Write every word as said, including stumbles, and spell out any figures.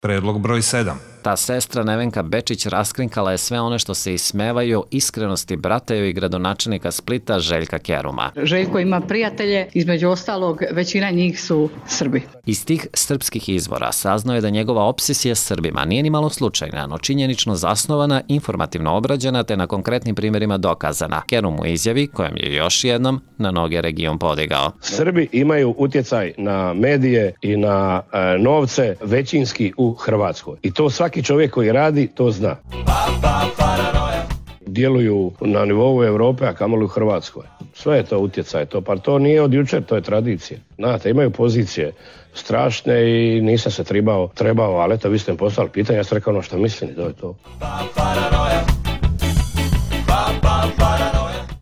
Predlog broj sedam. Ta sestra Nevenka Bečić raskrinkala je sve one što se ismevaju o iskrenosti brata i gradonačelnika Splita Željka Keruma. Željko ima prijatelje, između ostalog većina njih su Srbi. Iz tih srpskih izvora saznao je da njegova obsesija Srbima nije ni malo slučajna, no činjenično zasnovana, informativno obrađena te na konkretnim primjerima dokazana. Kerum u izjavi, kojem je još jednom na noge region podigao. Srbi imaju utjecaj na medije i na e, novce većinski u Hrvatskoj. I to svaki čovjek koji radi to zna. Djeluju na nivou Europe, a kamoli u Hrvatskoj. Sve je to utjecaj, to, pa to nije od jučer, to je tradicija. Znate, imaju pozicije strašne i nisam se trebao, trebao ali eto vi ste mi poslali pitanje, ja sam rekao ono što mislim i to je to.